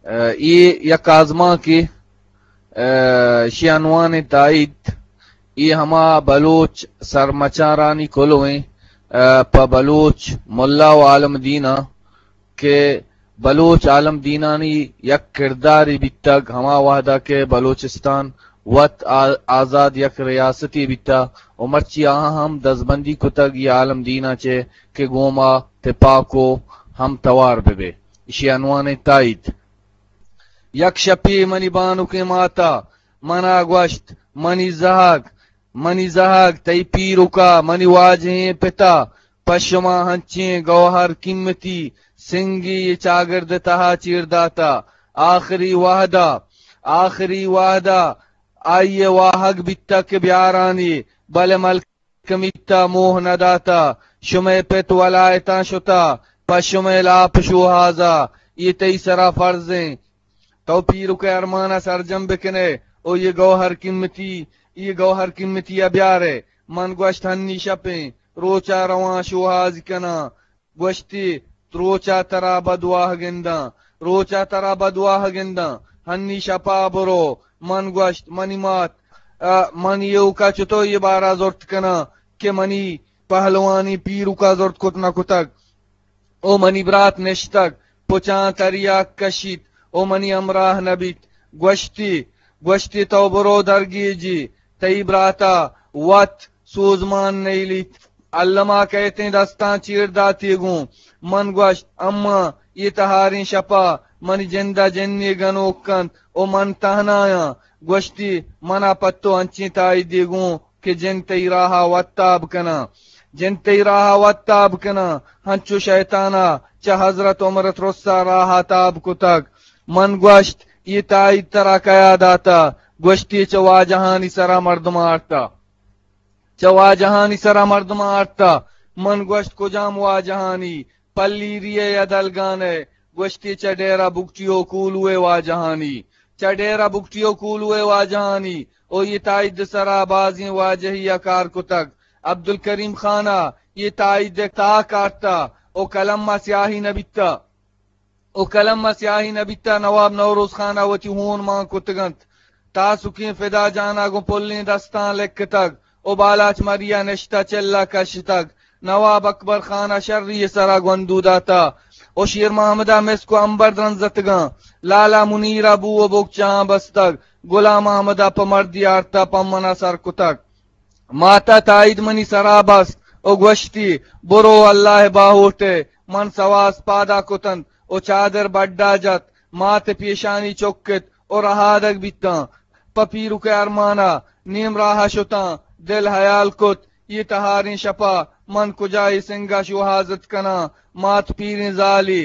اے یک آزمانکے، اشی عنوان تائید، اے ہما بلوچ سرمچارانی کلویں، پہ بلوچ ملا و عالم دیناں کہ بلوچ عالم دینانی یک کردارے بیتگ، ہما وہدا کہ بلوچستان وت آ-، آزاد یک ریاستے بیتگ و مرچی آہاں ہم دزبندی کتگ اے عالم دیناں چہ کہ گوں ما تپاک و ہم توار بہ بے۔ اشی عنوان تائید۔ یک شپے منی بانکیں ماتا منا گوشت، منی زہگ، منی زہگ، تئی پیرکا، منی واجہیں پتا، پہ شما ہنچیں گوہر قیمتی سنگے اے چاگرد تہا چیر داتا۔ آخری وہدا، آخری وہدا آئی ء واہگ بیتا کہ بیارانی، بلے ملک کمیتا موہ نہ داتا، شمئے پت ولایتاں شتا، پہ شمئے لاپ شوہازا، اے تئی سرا فرضیں۔ تو پیرک ء ارمانا سرجم بکنے او اے گوہر قیمتی، اے گوہر قیمتی ء بیارے۔ من گوشت، ہنی شپیں، روچا رواں شوہاز کناں۔ گوشتی، روچا ترا بدواہ گنداں، روچا ترا بدواہ گنداں، ہنی شپا برو۔ من گوشت، منی مات، ء، من ایوکا چتو اے بارا زرت کناں کہ منی پہلوانی پیرکا زرت کت نہ کتگ؟ او منی برات نشتگ، پچاں تریاک کشیت، او منی ہمراہ نہ بیت۔ گوشتی، گوشتی، تو برو درگیجی، تئی براتا وت سوزمان نیلیت۔ الما کئیتیں دستاں چیر داتی گوں۔ من گوشت، اماں، اے تہاریں شپا منی جندا جنے گنوک کنت و من تہنایاں۔ گوشتی، منا پہ تو انچیں تائیدے گوں کہ جن تئی راہا وت تاب کناں۔ جن تئی راہا وت تاب کناں۔ ہنچو شیطانا چہ حضرت عمر ترسا راہا تاب کتگ۔ من گوشت، اے تائید ترا کیا داتا؟ گوشتی، چہ واجہانی سرا مردماں آرتا۔ چہ واجہانی سرا مردماں آرتا۔ من گوشت، کجام واجہانی؟ پلیری ء یا دلگان ء؟ گوشتی، چہ ڈیرہ بگٹی و کولو ء واجہانی۔ چہ ڈیرہ بگٹی و کولو ء واجہانی۔ او اے تائید سرا بازیں واجہی ء کار کتگ۔ عبدالکریم خان ء اے تائید ء تاک آرتا او قلم ء سیاہی نہ بیتا۔ او قلم ء سیاہی نہ بیتا۔ نواب نوروز خان ء وتی ہون مان کتگ انت۔ تاسکیں فدا جان ء گوں پلیں دستاں لکتگ او بالاچ مری ء نشتہ چلہ کشتگ۔ نواب اکبر خان ء شری ء سرا گوندو داتہ او شیر محمد ء مسک و امبر درنزتگاں۔ لالا منیر ء بو و بگچاں بستگ۔ گلام احمد ء پہ مردی آرتہ پہ من ء سر کتگ۔ مات ء تائید منی سرا بست و گوشتی، برو اللہ ء باہوٹ ء۔ من سواس پادا کتنت و چادر بڈا جت۔ مات ء پیشانی چکت و رہادگ بیتاں۔ پہ پیرک ء ارمانا نیم راہ ء شتاں۔ دل ہیال کت، اے تہاریں شپا من کجا اے سنگا شوہازت کناں؟ مات پیریں زالی،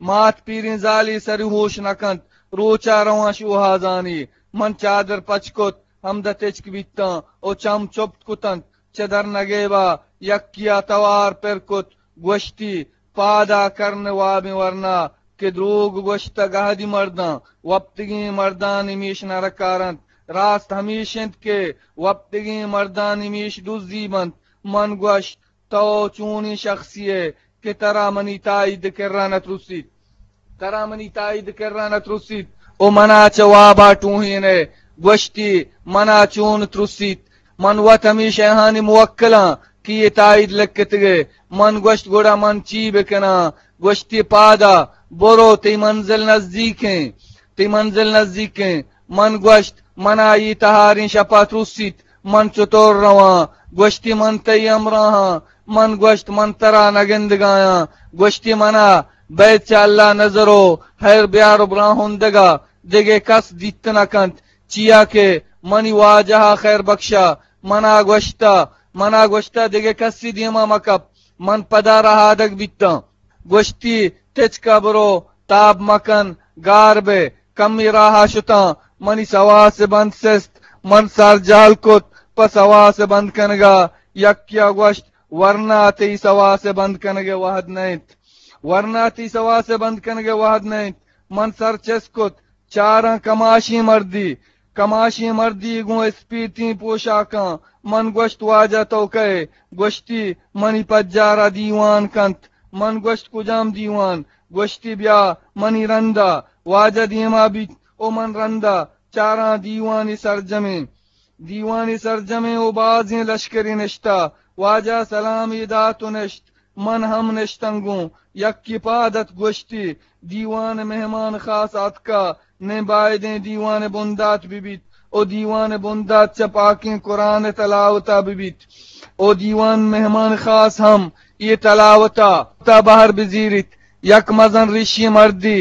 مات پیریں زالی سری ہوش نہ کنت۔ روچا رواں شوہازانی۔ من چادر پچ کت، ہمدا تچک بیتاں و چم چپت کتنت۔ چہ درنگیبا یکیا توار پر کت، گوشتی، پادا کرن وابیں ورنا کہ دروگ گوشتگ اہدی مرداں، وپتگیں مردانی میش نرکار انت۔ راست ہمیش انت کہ وپتگیں مردانی میش دزی بنت۔ من گوشت، تو چونیں شخصی ئے کہ ترا منی تائید کرا نہ ترسیت؟ ترا منی تائید کرا نہ ترسیت؟ او منا چہ وابا ٹوہین ئے۔ گوشتی، منا چون ترسیت؟ من وت ہمے شیہانی موکلاں کہ اے تائید لکتگے۔ من گوشت، گڑا من چی بکناں؟ گوشتی، پادا برو، تئی منزل نزیکیں، تئی منزل نزیکیں۔ من گوشت، منا اے تہاریں شپا ترسیت، من چطور رواں؟ گوشتی، من تئی ہمراہاں۔ من گوشت، من ترا نہ گندگایاں۔ گوشتی، منا بید چہ اللہ نظر و خیر بیار و براہندگا دگہ کس دیت نہ کنت، چیا کہ منی واجہا خیر بخشا منا گوشتا، منا گوشتا دگہ کسی دیما مکپ، من پدا رہادگ بیتاں۔ گوشتی، تچکا برو، تاب مکن، گار بے۔ کمی راہا شتاں، منی سواس بند سست، من سر جہل کت پہ سواس بند کنگا۔ یکیا گوشت، ورنا تئی سواس بند کنگے وہد نہ انت، ورنا تئی سواس بند کنگے وہد نہ انت۔ من سر چست کت، چاراں کماشیں مردی، کماشیں مردی گوں اسپیتیں پوشاکاں۔ من گوشت، واجہ تو کئے؟ گوشتی، منی پجارا دیوان کنت، من گوشت، کجام دیوان؟ گوشتی، بیا منی رندا۔ واجہ دیما بیت و من رندا چاراں دیوانی سرجمیں، دیوانی سرجمیں و بازیں لشکری نشتا۔ واجہ سلامی دات و نشت۔ من ہم نشتنگوں۔ یکی پاد ات، گوشتی، دیوان مہمان خاص آتکا، نیں بایدیں دیوان بندات ببیت و دیوان بندات چہ پاکیں قرآن تلاوتا ببیت و دیوان مہمان خاص ہم اے تلاوتا تا بہر بزیریت۔ یک مزن ریشی مردی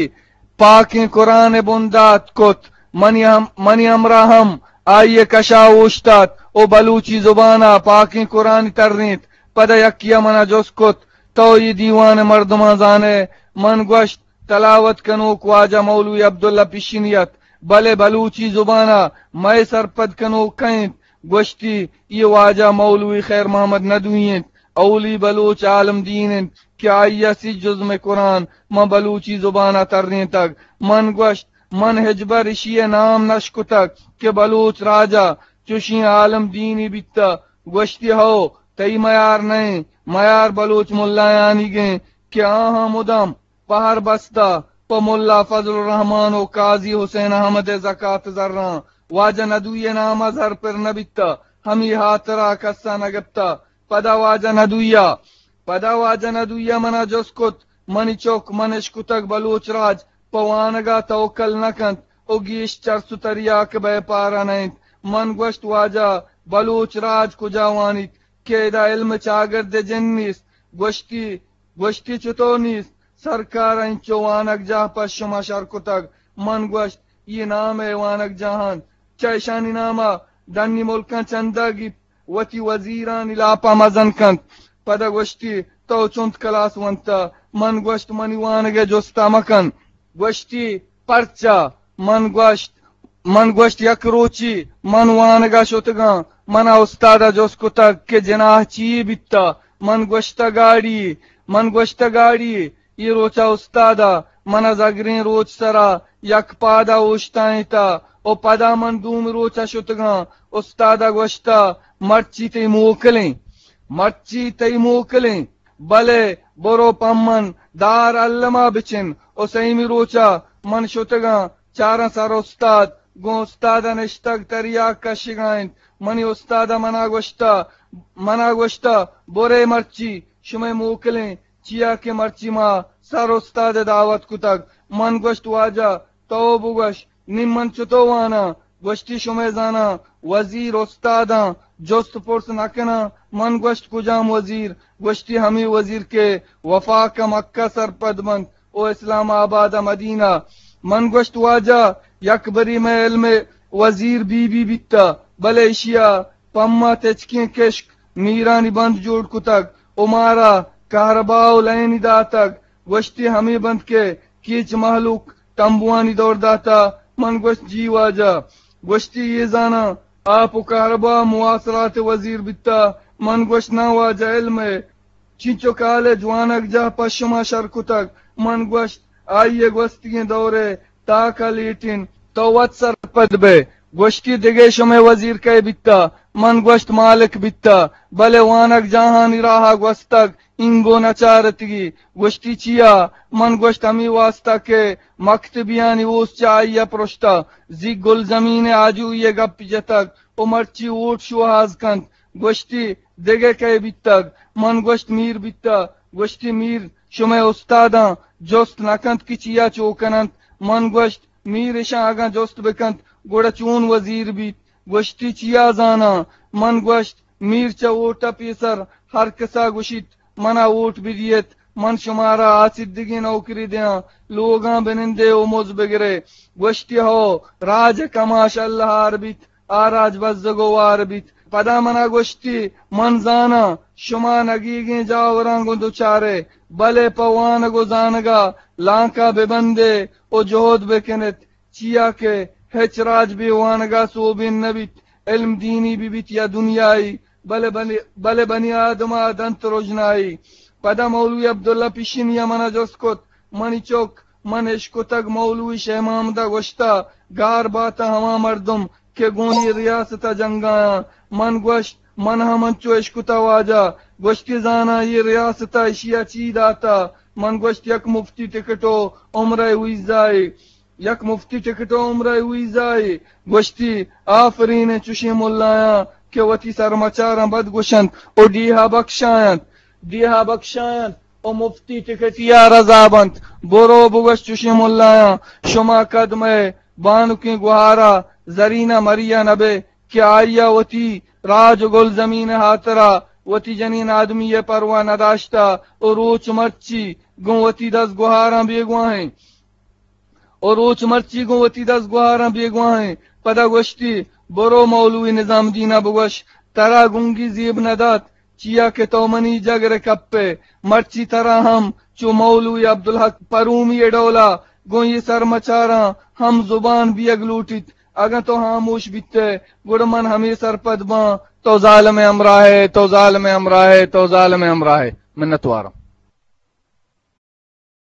پاکیں قرآن بندات کت۔ منی ہم، منی ہمراہ ہم آئی کشا اوشتات و بلوچی زبانا پاکیں قرآن ترینت۔ پدا یکیا منا جست کت، تو اے دیوان مردماں زانے؟ من گوشت، تلاوت کنوک واجہ مولوی عبداللہ پشنی ات، بلے بلوچی زبانا مئے سرپد کنوک کئے انت؟ گوشتی، اے واجہ مولوی خیر محمد ندوی انت، اولی بلوچ عالم دین انت کہ آئی ء سی جزم قرآن ماں بلوچی زبان ء ترینتگ۔ من گوشت، من ہچبر اشی ء نام نشکتگ کہ بلوچ راج ء چوشیں عالم دینی بیتہ۔ گوشتی، ہو، تئی میار نئیں، میار بلوچ ملایانیگیں کہ آہاں مدام پہر بستہ پہ ملا فضل الرحمان و قاضی حسین احمد ء زکات زراں۔ واجہ ندوی ء نام ء زر پر نہ بیتہ، ہمے ہاترا کس ء نہ گپتہ۔ پدا واجہ ندوی ء، پدا واجہ ندوی ء منا جست کت، منی چک، من اشکتگ بلوچ راج پہ وانگ ء توکل نہ کنت و گیش چرس و تریاک بیپار ء نہ انت۔ من گوشت، واجہ، بلوچ راج کجا وانیت کہ ادا علم چاگرد ء جند نیست؟ گوشتی، گوشتی، چتو نیست؟ سرکار ء انچو وانگجاہ پہ شما شر کتگ۔ من گوشت، اے نام ء وانگجاہ انت، چہ اشانی نام ء ڈنی ملکاں چندہ گیپت، وتی وزیرانی لاپ ء مزن کنت۔ پدا گوشتی، تو چنت کلاس ونتہ؟ من گوشت، منی وانگ ء جست ء مکن۔ گوشتی، پرچا؟ من گوشت، من گوشت، یک روچی من وانگ ء شتگاں، من ء استاد ء جست کتگ کہ جناح چی بیتہ؟ من گوشتہ، گاڑی۔ من گوشتہ، گاڑی۔ اے روچ ء استاد ء من ء زگریں روچ سرا یک پاد ء اوشتائینتہ و پدا من دومی روچ ء شتگاں۔ استاد ء گوشتہ، مرچی تئی موکلیں، مرچی تئی موکلیں، بلے برو پمن دار الما بچن۔ و سیمی روچا من شتگاں، چاراں سر استاد، گوں استاد ء نشتگ تریاک کشگا انت۔ منی استاد ء منا گوشتہ، منا گوشتہ، برے مرچی شمئے موکلیں، چیا کہ مرچی ما سر استاد ء دعوت کتگ۔ من گوشت، واجہ، تو بگوش، نی من چتو واناں؟ گوشتی، شمئے زاناں وزیر استاداں جست پرس نہ کناں۔ من گوشت، کجام وزیر؟ گوشتی، ہمے وزیر کہ وفاق ء مکہ سرپد بنت و اسلام آباد ء مدینہ۔ من گوشت، واجہ، یک بری مئے علم ء وزیر بی بی بیتہ، بلے اشیا پما تچکیں کشک میرانی بند جوڑ کتگ و مارا کہربا و لائنی داتگ۔ گوشتی، ہمے بند کہ کیچ مہلوک تمبوانی دور داتا۔ من گوشت، جی واجہ۔ گوشتی، اے زاناں آپ و کہربا مواصلات وزیر بیتا۔ من گوشت، ناں واجہ، علم ء چنچو کالج وانگجاہ پہ شما شر کتگ۔ من گوشت، آئی ء گوستگیں دور ء تاک ء لیٹ انت، تو وت سرپد بئے۔ گوشتی، دگہ شمئے وزیر کئے بیتا؟ من گوشت، مالک بیتا، بلے وانگجاہانی راہ ء گوستگ، اینگو نہ چارتگی۔ گوشتی، چیا؟ من گوشت، ہمے واستا کہ مکتبیانی اوست چہ آئی ء پرشتہ، زی گلزمین ء آجوئی ء گپ جتگ و مرچی ووٹ شوہاز کنت۔ گوشتی، دگہ کئے بیتگ؟ من گوشت، میر بیتہ۔ گوشتی، میر شمئے استاداں جست نہ کنت کہ چیا چو کننت؟ من گوشت، میر اشاں اگاں جست بکنت، گڑا چون وزیر بیت؟ گوشتی، چیا زاناں؟ من گوشت، میر چہ ووٹ ء پیسر ہر کسا گوشیت، منا ووٹ بدیت، من شمارا آسدگیں نوکری دیاں، لوگاں بنندے و مز بگرے۔ گوشتی، ہو، راج ء کماش اللہ ہار بیت، آ راج بزگ و وار بیت۔ پدا منا گوشتی، من زاناں شما نگیگیں جاوراں گوں دچارے، بلے پہ وانگ و زانگا لانکا ببندے و جہد بکنت، چیا کہ ہچ راج بے وانگا سوبین نبیت، علم دینی ببیت یا دنیائی، بلے بنی، بلے بنی آدما دنت رژنائی۔ پدا مولوی عبداللہ پیشنیا منا جست کت، منی چک، من اشکتگ مولوی شے محمد ء گوشتہ، گار باتہ ہما مردم کہ گوں اے ریاست ء جنگایاں۔ من گوشت، من ہم انچو اشکتہ واجہ، گوشتی، زاناں اے ریاست ءَ اشی ءَ چی داتا؟ من گوشت، یک مفتی ٹکٹ و عمرہ ویزائے، یک مفتی ٹکٹ و عمرہ ویزائے۔ گوشتی، آفرین چشیں ملایاں کہ وتی سرمچاراں بد گوشنت و ڈیہا بکشاینت، ڈیہا بکشاینت و مفتی ٹکٹی ءَ رضا بنت۔ برو بگوش چشیں ملایاں، شما کد مئے بانکیں گہارا زرینہ مریا نبے کہ آئیا وتی راج و گل زمین ہاترا وتی جنین آدمی پرواہ نداشتا و روچ مرچی گوں وتی دست گہاراں بیگواہیں، و روچ مرچی گوں وتی دست گہاراں بیگواہیں۔ پدا گوشتی، برو مولوی نظام دینا بگوش، ترا گنگی زیب ندات، چیا کہ تو منی جگر کپے۔ مرچی ترا ہم چو مولوی عبدالحق پرومی ڈولا گوں یہ سرمچاراں ہم زبان بیگ لوٹیت۔ اگاں تو ہاموش بیتے، گڑا من ہمے سرپد باں، تو ظالم ہمراہ ہے، تو ظالم ہمراہ ہے، تو ظالم ہمراہ ہے۔ منتواراں۔